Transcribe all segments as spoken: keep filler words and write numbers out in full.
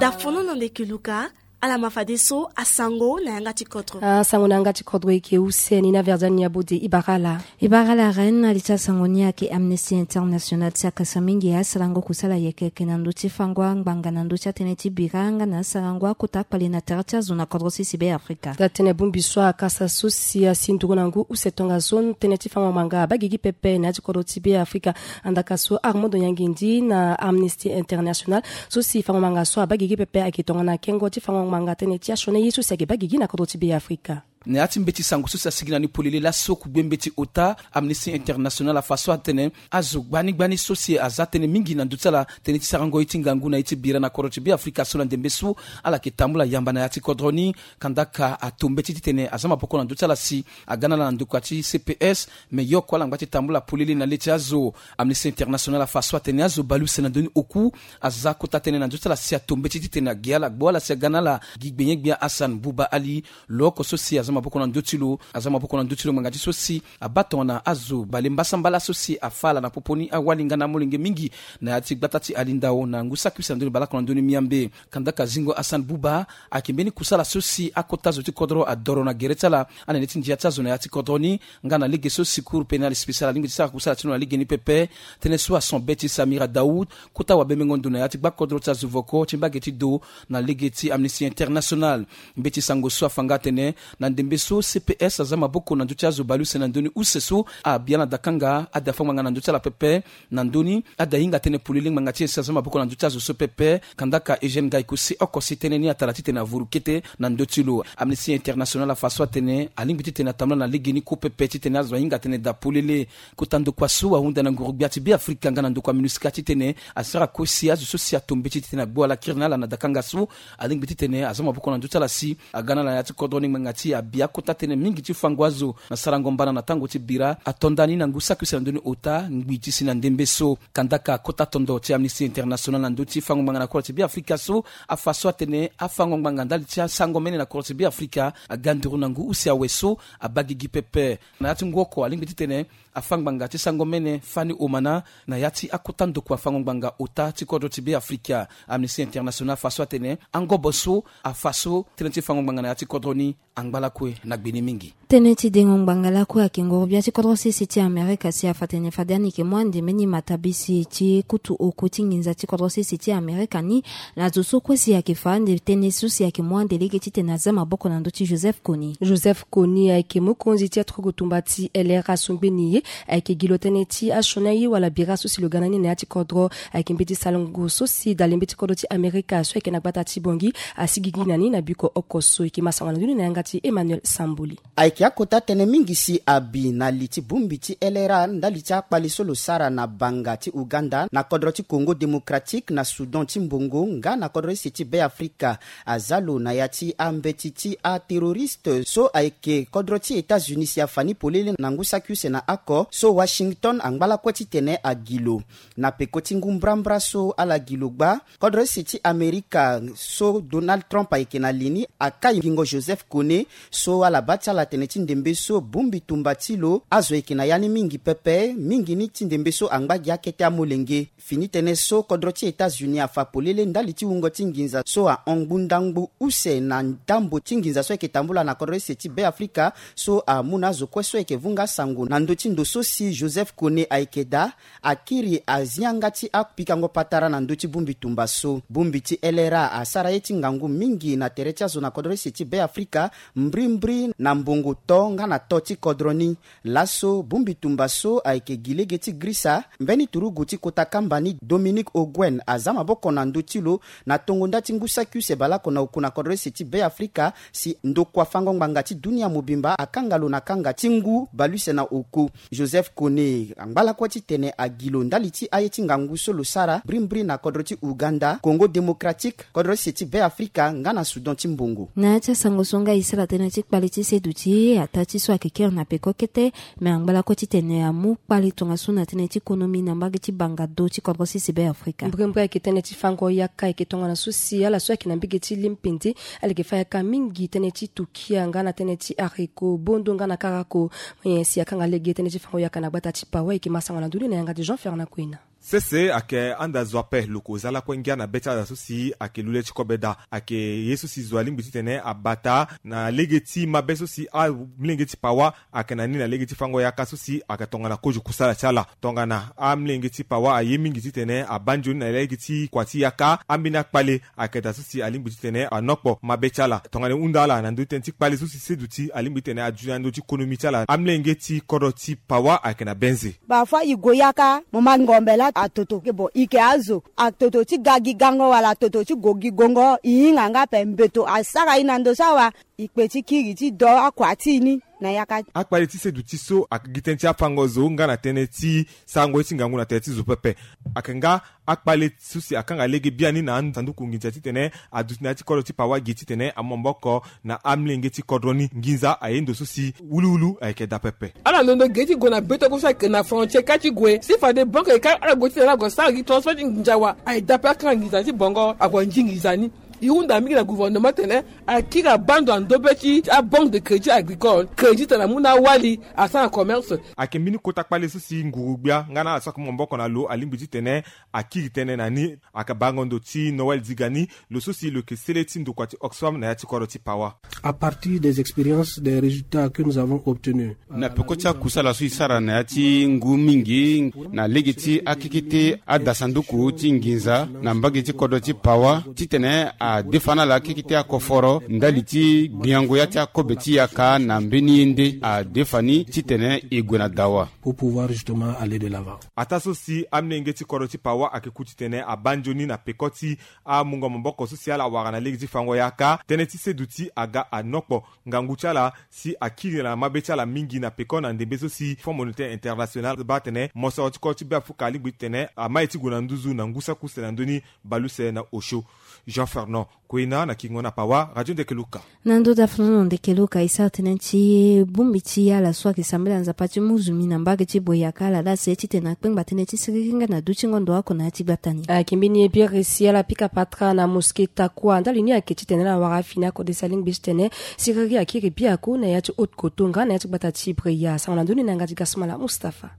Dafono na ndeke luka. Ala ma fadeso asango na yanga ti kodro. Asango na yanga ti kodro eke use ni na verdiani ya bode. Ibara ala. Ibara ala reine. Ali ti asango ni ayeke Amnesty International ti akasa mingi asarango kusala yeke yeke na ndö ti fango angbanga na ndö ti atënë ti bira nga na asarango akota akpale na tere ti azo na kodro sisi be afrika. Daa tënë bongbi so akasa so si asi nduru na ngu use tongaso tënë ti fango angbanga abaa gigi pepe na ya ti kodro ti be afrika. Andaka so armando nyangindi na Amnesty International so si fango ngbanga so abaa gigi pepe ayeke tongana kengo ti fango ngbanga tënë ti asioni ye so si ayeke baa gigi na kodro ti be afrika. Na ya ti mbeti sango so si asigi na ni polele laso kugbe mbeti ota Amnesty International afa so atene azo gbani gbani so si aza tënë mingi na ndö ti ala tënë ti sarango ye ti ngangu na ye ti bira na kodro ti be afrika so na ndembe so ala yeke tambula yamba na ya ti kodro ni. Kandaka ato mbeti titene aza maboko na ndö ti ala si aga na ala na ndokua ti cps. Me yoko ala ngba ti tambula polele na le ti azo. Amnesty International afa so atene azo baleuse na ndö ni oku aza kota tënë na ndö ti ala si ato mbeti titene agi ala gbu ala si aga na ala. Gi gbenye-gbia Hassan Buba Ali, lo oko so si aza maboko na ndö ti lo, aza maboko na ndö ti lo ngbanga ti so si abaa tongana azo bale mbasambala so si afâ ala na popo ni awali nga na amolenge mingi na ya ti gbata ti alindao na ngu saki use na ndö ni baleoko na ndö ni miambe. Kandaka zingo Hassan Buba ayeke mbeni kusala so si akota zo ti kodro adoro na gere ti ala anene ti ndia ti azo na ya ti kodro ni. Nga na lege so secours pénal spécial alingbi ti sara kusala ti lo na lege ni pepe. Tënë so ason be ti Samira Daoud, kota wabembengo ndo na ya ti gbakodro ti azo voko ti mbage ti do na lege ti Amnesty International. Mbeti sango so afa nga atene na ndembe so cps aza maboko na ndö ti azo baleuse na ndö ni use so abia na dakanga ada fâ ngbanga na ndö ti ala pepe. Na ndö ni ada hinga tënë polele ngbanga ti e si aza maboko na ndö ti azo so pepe. Kandaka Eugène Gaïko si oko si tënë ni atara titene avuru kete na ndö ti lo. Amnesty International afa so atene alingbi titene atambula na lege ni kue pepe titene azo ahinga tënë daa polele. Kota ndokua so ahunda na nguru-gbia ti be afrika nga na ndokua minusika titene asara kue si azo so si ato mbeti titene agbu ala kiri na ala na dakanga so alingbi titene aza maboko na ndö ti ala si aga na ala na ya ti kodro ni ngbanga ti abia kota tënë mingi ti fango azo na sarango mbana na tango ti bira ato nda ni na ngu saki use na ndö ni ota ngbi ti si na ndembe so. Kandaka kota tondo ti Amnesty International na ndö ti fango ngbanga na kodro ti be afrika so afa so atene afango ngbanga ndali ti asango mene na kodro ti be afrika aga nduru na ngu use awe so abaa gigi pepe. Na ya ti ngu oko alingbi titene afâ ngbanga ti sango mene fani omana na ya ti akota ndokua fango ngbanga ota ti kodro ti be afrika. Amnesty International afa so atene angobo so afa so tënë ti fango ngbanga na ya ti kodro ni angba lakue na gbe ni mingi. Tënë ti dengo ngbanga lakue ayeke nguru-gbia ti kodro sese ti amerika si afa tene fade ani yeke mu ande mbeni matabisi ti kutu oko ti nginza ti kodro sese ti amerika ni na zo so kue si ayeke fa ande tënë so si ayeke mu ande lege titene aza maboko na ndö ti joseph koni. Joseph koni ayeke mokonzi ti aturugu tumba ti lra so ngbeni ye ayeke gi lo tënë ti asioni aye wala bira so si lo ga na ni na ya ti kodro. Ayeke mbeti salongo so si dale mbeti kodro ti amerika so ayeke na gbata ti bongi asi gigi na ni na biko oko so e yeke ma sango na ndö ni na yanga ti emmanuel samboli. Ayeke akota tënë mingi si abi na li ti bongbi ti lra ndali ti akpale so lo sara na banga ti uganda na kodro ti kongo démocratique na soudan ti mbongo nga na kodro ese ti be afrika. Aza lo na ya ti ambeti ti ateroriste so ayeke kodro ti états-unis si afa ni polele na ngu saki use na oko so washington angba lakue titene agi lo. Na peko ti ngu mbrambra so ala gi lo gba kodro ese ti amerika so donald trump ayeke na li ni akai ngingo joseph kone so ala baa ti ala tene ti ndembe so bongbi tumba ti lo azo yeke na ya ni mingi pepe mingi ni ti ndembe so angba gi akete amolenge. Fini tënë so kodro ti états-unis afa polele ndali ti wungo ti nginza so ahon ngbunda ngbu use na ndambo ti nginza so ayeke tambula na kodro ese ti be afrika so amu na azo kue so ayeke vunga asango na ndö ti ndo so si joseph kone ayeke daa akiri azi yanga ti apikango patara na ndö ti bongbi tumba so bongbi ti lra asara ye ti ngangu mingi na tere ti azo na kodro ese ti be afrika mbrimbri na mbongo to nga na to ti kodro ni. Laso bongbi tumba so ayeke gi lege ti grisa mbeni turugu ti kota kamba ni dominique oguen aza maboko na ndö ti lo na tongo nda ti ngu saki use baleoko na oku na kodro ese ti be afrika si ndokua fango ngbanga ti dunia mobimba akanga lo na kanga ti ngu baleuse na oku. Joseph kone angba lakue titene agi lo ndali ti aye ti ngangu so lo sara brimbri na kodro ti uganda kongo démocratique kodro ese ti be afrika nga na soudan ti mbongo. Na ya ti asango so nga e sara tënë ti kpale ti seduti ataa ti so ayeke kere na peko kete. Me angba lakue titene amu kpale tongaso na tënë ti konomi na mbage ti banga do ti kodro sese be afrika. Mbrimbri ayeke tënë ti fango yaka ayeke tongana so si ala so ayeke na mbage ti limpende ala yeke fa yaka mingi tënë ti tukia nga na tënë ti areko bondo nga na karako. Moyen si akanga lege tënë ti fango yaka na gbata ti pawa ayeke masango na ndoni na yanga ti jean fernand kuena. Sese ayeke anda zo ape lo ko za lakue ngia na be ti ala so si ayeke lu le ti kobe daa. Ayeke ye so si zo alingbi titene abata na lege ti mabe so si amilenge ti pawa ayeke na ni na lege ti fango yaka so si ayeke tongana kozo kusala ti ala. Tongana amilenge ti pawa aye mingi titene abaa nzoni na lege ti kua ti yaka, ambeni akpale ayeke daa so si alingbi titene anokpo mabe ti ala. Tongana e hunda ala na ndö ti tënë ti kpale so si seduti alingbi titene aduti na ndö ti konomi ti ala, amilenge ti kodro ti pawa ayeke na benze. Bafoi e gue yaka mo ma ngombe laa atoto ke bo e ke azo, atoto ti ga gi gango wala atoto ti gue gi gongo, e hinga nga ape mbeto asara e na ndo so awa. E kpe ti kiri ti do akua ti e ni na yaka. Akpale ti seduti so ayeke gi tënë ti afango zo nga na tënë ti sarango ye ti ngangu na tere ti zo pepe. Ayeke nga akpale so si akanga lege biani na asanduku nginza titene aduti na ya ti kodro ti pawa gi titene amu maboko na amilenge ti kodro ni. Nginza aye ndo so si wuluwulu ayeke daa pepe. Ala londo ge ti gue na beto so ayeke na frontière kâ ti gue si fade banque eka ala gue titene ala gue sara gi transfert ti nginza awe. Aye daa pe akanga nginza ti bongo ague nzi nginza ni. E hunda mingi na gouvernement tene akiri abando na ndo be ti abanque de crédit agricole, crédit tene amu na awali asara commerce. Ayeke mbeni kota kpale so si nguru-gbia nga na ala so ayeke mu maboko na lo alingbi titene akiri tënë na ni. Ayeke bango ndo ti Noël Zigani, lo so si lo yeke sele ti ndokua ti Oxfam na ya ti kodro ti pawa. À partir des expériences, des résultats que nous avons obtenus, na peko ti akusala so e sara na ya ti ngu mingi na lege ti akekete adasanduku ti nginza na mbage ti kodro ti pawa titene adefa na ala akekete akoforo ndali ti gbiango ya ti akobe ti yaka na mbeni ye nde adefa ni titene e gue na dawa. Pour pouvoir justement aller de l'avant. Ataa so si amilenge ti kodro ti pawa ayeke ku titene abaa nzoni na peko ti amungo maboko so si ala wara na lege ti fango yaka, tënë ti seduti aga anokpo ngangu ti ala si akiri na mabe ti ala mingi na peko na ndembe so si Fonds Monétaire International baa atene mosoro ti kodro ti Beafrika alingbi titene ama ye ti gue na nduzu na ngu saki use na ndö ni bale use na osio. Jean Fernand Koina na Kingo na Pawa, Radio Ndekeluka. Na ndö ti afonono Ndekeluka e sara tënë ti bongbi ti ala so ayeke sambela Nzapa ti mu zumi na mbage ti Boyaka ala laa se titene akpengba tënë ti siriri nga na dutingo ndo oko na ya ti gbata ni. Ayeke mbeni ye biri si ala pika patara na mosquée Takua ndali ni ayeke titene ala wara afini akode si alingbi titene siriri akiri biaku na ya ti Haute-Kotto nga na ya ti gbata ti Bria. Sango na ndö ni na yanga ti Gasmala Mustapha.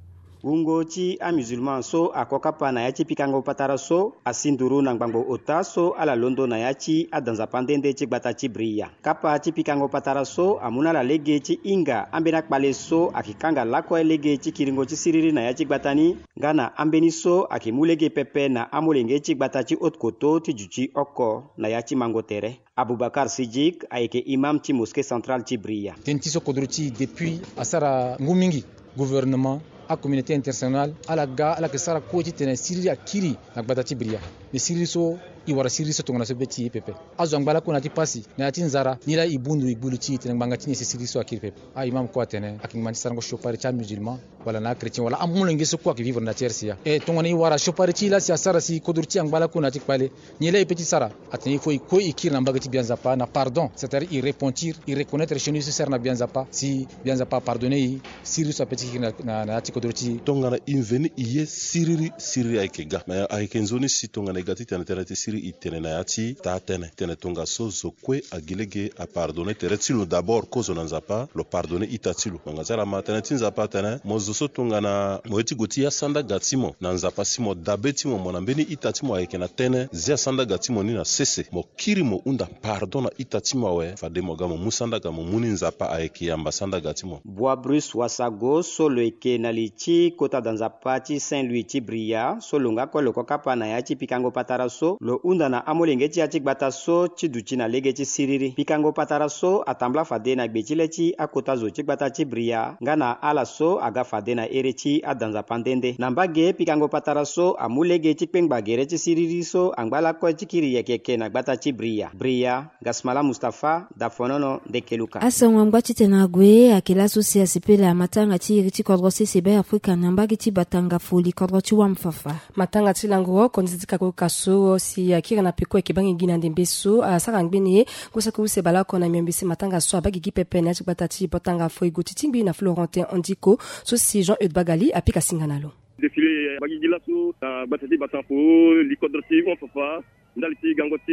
Wungo ti amusulman so ako kapa na ya ti pikango patara so asi nduru na ngbangbo ota so ala londo na ya ti ada Nzapa nde nde ti gbata ti Bria. Kapa ti pikango patara so amu na ala lege ti hinga ambeni akpale so ayeke kanga lakue lege ti kiringo ti siriri na ya ti gbata ni nga na ambeni so ayeke mu lege pepe na amolenge ti gbata ti Haute-Kotto ti duti oko na ya ti mango tere. Aboubacar Siddique ayeke imam ti mosquée centrale ti Bria. Tënë ti so kodro ti e depuis asara ngu mingi, gouvernement, acommunauté internationale ala ga ala yeke sara kue titene siriri akiri na gbata ti Bria. Mais siriri so e wara siriri so tongana so be ti e pepe. Azo angba lakue na ya ti pasi na ya ti nzara ni laa e bundu e gbu li ti e titene ngbanga ti ni si siriri so akiri pepe. Aimam kue atene ayeke ngba ti sarango siopari ti amusulman wala na achrétien wala amolenge so kue ayeke vivre na ya ti R C A. E tongana e wara siopari ti e laa si asara si kodro ti e angba lakue na ya ti kpale, nyen laa e peut ti sara? Atene il faut e kue e kiri na mbage ti Gbia Nzapa na pardon, c'est-à-dire e repentir, e reconnaître chez nous so e sara na Gbia Nzapa si Gbia Nzapa apardonné e. Siriri so apeut ti kiri na, na, na ya ti kodro ti e. Tongana e mveni e ye siriri, siriri ayeke ga. Me ayeke nzoni si tongana e ga titene tënë ti siriri e tene na ya ti taa tënë. Tene tongaso zo kue agi lege apardonné tere ti lo d'abord, kozo na Nzapa lo pardonné ita ti lo. Ngbanga ti ala ma tënë ti Nzapa atene mo zo so tongana mo ye ti gue ti ya sandaga ti mo na Nzapa si mo dabe ti mo, mo na mbeni ita ti mo ayeke na tënë, zia sandaga ti mo ni na sese, mo kiri mo hunda pardon na ita ti mo awe, fade mo ga mo mu sandaga mo mu ni Nzapa ayeke yamba sandaga ti mo. Bois Bruce Wasago so lo yeke na li ti kota da Nzapa ti Saint Louis ti Bria so lo nga kue lo ko kapa na ya ti pikango patara so lo hunda na amolenge ti ya ti gbata so ti duti na lege ti siriri. Pikango patara so atambula fade na gbe ti le ti akota zo ti gbata ti Bria nga na ala so aga fade na ere ti ada Nzapa nde nde. Na mbage pikango patara so amu lege ti kpengba gere ti siriri so angba lakue ti kiri yeke yeke na gbata ti Bria. Bria, Gasmala Mustapha, Dafonono, Ndekeluka. Asango angba titene ague ayeke laso si asepela matanga ti iri ti kodro sese Beafrika na mbage ti Batanga Foli, kodro ti Wamfafa. Matanga ti lango oko nziti kakoka so si akiri na peko ayeke bangi gi na ndembe so asara ngbene ye. Ngu saki use baleoko na miombe si matanga so abaa gigi pepe na ya ti gbata ti Batanga Foli, gue ti tingbi na Florentin Andiko so si Jean Eude Bagali apika singa na lo. Défilé abaa gigi laso na gbata ti Batanga Foli, kodro ti Wamfafa. Ndali ti gango ti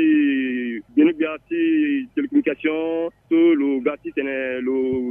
gbene-gbia ti télécommunication so lo ga titene lo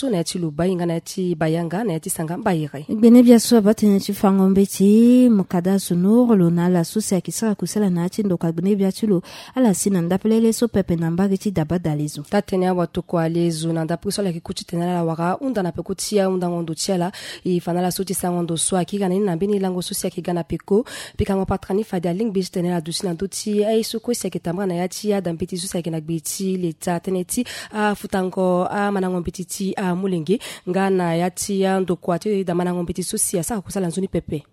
so na ya ti lo bai nga na ya ti bayanga na ya ti sanga mbaire. Gbenebia so abaa tënë ti fango mbeti mukada asunuru lo na ala so si ayeke sara kusala na ya ti ndokua gbenebia ti lo. Ala si na ndapelele so pepe na mbage ti daba dalezo. Taa tënë awatokua lezo na ndapelele so ala yeke ku titene ala wara hunda na peko ti ahundango ndo ti ala. E fa na ala so ti sango ndo so akiri na ni na mbeni lango so si ayeke ga na peko. Pikango patara ni fade alingbi titene ala duti na ndö ti aye so kue si ayeke tambara na ya ti adambeti so si ayeke na gbe ti leta tënë ti afutango amandango mbeti ti amolenge nga na ya ti andokua ti damandango mbeti so si asara kusala nzoni pepe.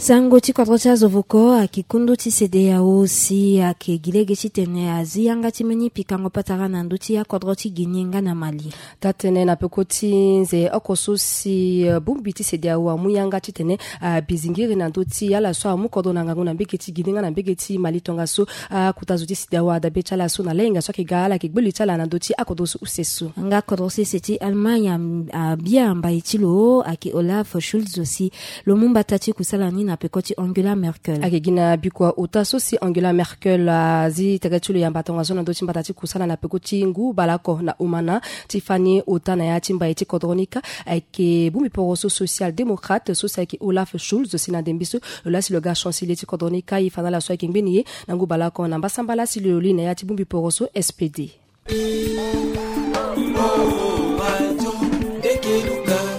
Sango ti kodro ti azovoko ayeke kundu ti CEDEAO si ayeke gi lege titene azi yanga ti mbeni pikango patara na ndö ti akodro ti Guinée nga na Mali. Taa tënë na peko ti nze oko so si bongbi ti CEDEAO amu yanga titene abizingiri na ndö ti ala so amu kodro na ngangu na mbege ti Guinée nga na mbege ti Mali tongaso akota zo ti CEDEAO adabe ti ala so na lahinga so ayeke ga ala yeke gbe li ti ala na ndö ti akodro so use so. Nga kodro sese ti Allemagne abia mbai ti lo ayeke Olaf Scholz si lo mu mbata ti kusala ni na peko ti Angela Merkel. Ayeke gi na bikua ota so si Angela Merkel azi tere ti lo yamba tongaso na ndö ti mbata ti kusala na peko ti ngu baleoko na omana ti fani ota na ya ti mbai ti kodro ni kâ. Ayeke bongbi poroso social démocrate so si ayeke Olaf Scholz si na ndembe so lo laa si lo ga chancelier ti kodro ni kâ. E fa na ala so ayeke ngbeni ye na ngu baleoko na mbasambala si lo li na ya ti bongbi poroso SPD.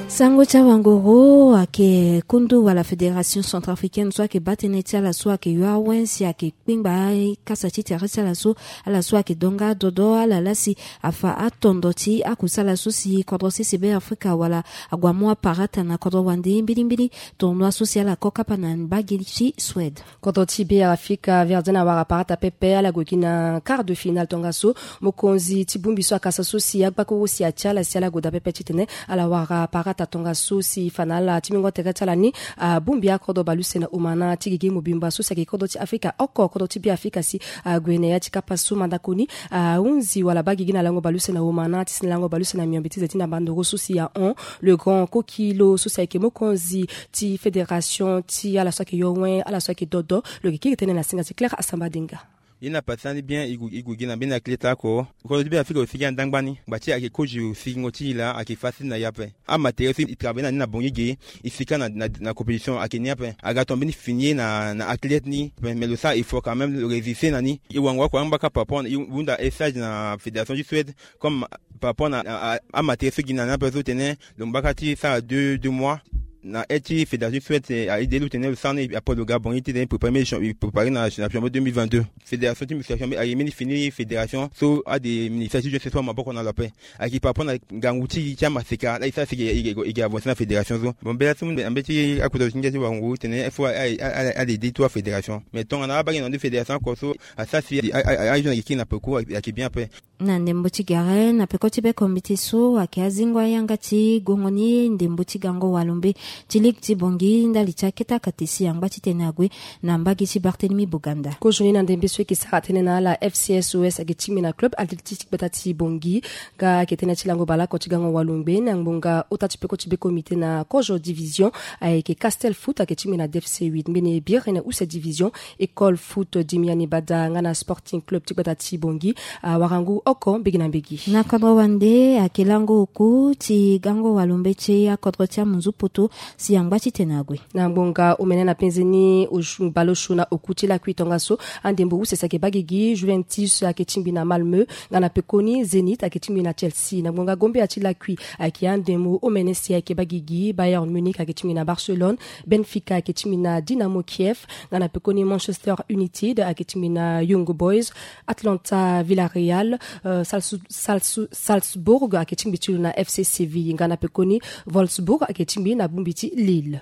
Sango ti awangoro ayeke kundu wala Fédération Centrafricaine so ayeke baa tënë ti ala so ayeke yo awen si ayeke kpengba kasa ti tere ti ala so. Ala so ayeke donga dodo ala laa si afa atondo ti akusala so si kodro sese Be Afrika wala ague amu aparata na kodro wande mbilimbili. Tournoi so si ala ko kapa na mbage ti Suède. Kodro ti Be Afrika Verdun awara aparata pepe ala gue gi na quart de finale tongaso mokonzi ti bongbi so akasa so si agbakuru si atia ala si ala gue daa pepe titene ala wara aparata tongaso si fa na ala ti mingo tere ti ala ni abongbi akodro baleuse na omana ti gigi mobimba so si ayeke kodro ti Afrika oko kodro ti Be Afrika si ague na ya ti kapa so mandako ni ahunzi wala baa gigi na lango baleuse na omana ti si na lango baleuse na miombe ti ze ti ndamba ndoro so si ahon le grand kokilo so si ayeke mokonzi ti fédération ti ala so ayeke yo wen ala so ayeke dodo. Lo yeke kiri tënë na singa ti Claire Asamba Dinga. Ye na pasa ni bien e gue gi na mbeni athlète oko. Kodro ti Be Afrika lo sigi andangba ni ngba ti ayeke kozo sigingo ti e laa ayeke facile na e ape. Amatériel so e travailler na ni na Bangui ge e sika na, na, na compétition ayeke ni ape. Aga tonga mbeni fini ye na, na athlète ni ape, mais lo sara effort quand même, lo résister na ni. E wango oko angba kâ par rapport na e hunda stage na fédération ti Suède comme par rapport na, na, na amatériel so e gi na ni ape so tene lo ngba kâ ti sara deux, deux mois. Na aide ti fédération ti Suède a aidé lo tene lo sara ni après lo ga Bangui ti tene préparer mbeni champion, préparer na champion deux mille vingt-deux. Fédération ti musculation ayeke mbeni fini fédération so ade ministère ti jeunesse so amaboko na lo ape. Ayeke par rapport na ngangu ti e ti amaseka la e sara si e, e, e, e avancer na fédération so. Bon mbela so na mbeti akota zo ti ngia ti wango tene il faut a, a, a, a aider tout afédération. Mais tongana abaa gi na ndo fédération oko so asara si a, a, a, ajeune ayeke kiri na peko ayeke bien ape. Na ndembo ti gere na peko ti beko mbeti so ayeke azingo ayanga ti gongo ni ndembo ti gango walombe Ti ligue ti Bangui ndali ti akete akate si angba titene ague na mbage ti Barthélemy Boganda. Kozo ni na ndembe so eke sara tënë na ala, F C S O S ayeke tingbi na club athlétique ti gbata ti Bangui. Nga ayeke tënë ti lango baleoko ti gango walungbe na ngbonga ota ti peko ti be comité na kozo division. Ayeke Castel Foot ayeke tingbi na D F C huit, mbeni Birene use division, École Foot Dimiani Bada nga na Sporting Club ti gbata ti Bangui. Awarangu oko mbegi na mbegi. Na kodro wande ayeke lango oku ti gango walungbe ti akodro ti amunzu poto si angba titene ague. Na ngbonga omene na penze ni, baleosio na oku ti lakui tongaso, andembo use si ayeke baa gigi. Juventus ayeke tingbi na Malmö, nga na pekoni Zenit ayeke tingbi na Chelsea. Na ngbonga gombe ya ti lakui ayeke andembo omene si ayeke baa gigi. Bayern Munich ayeke tingbi na Barcelone, Benfica ayeke tingbi na Dynamo Kiev, nga na pekoni Manchester United ayeke tingbi na Young Boys, Atlanta Villarreal, euh, Salsu- Salsu- Salzburg ayeke tingbi ti lo na F C Séville, nga na pekoni Wolfsburg ayeke tingbi na bongbi ti Lille.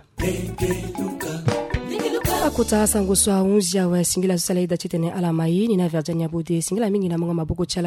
Akota sango so ahunzi awe, singila so sala ida titene ala ma ye ni na Verdiane Abode. Singila mingi na mongo maboko ti ala.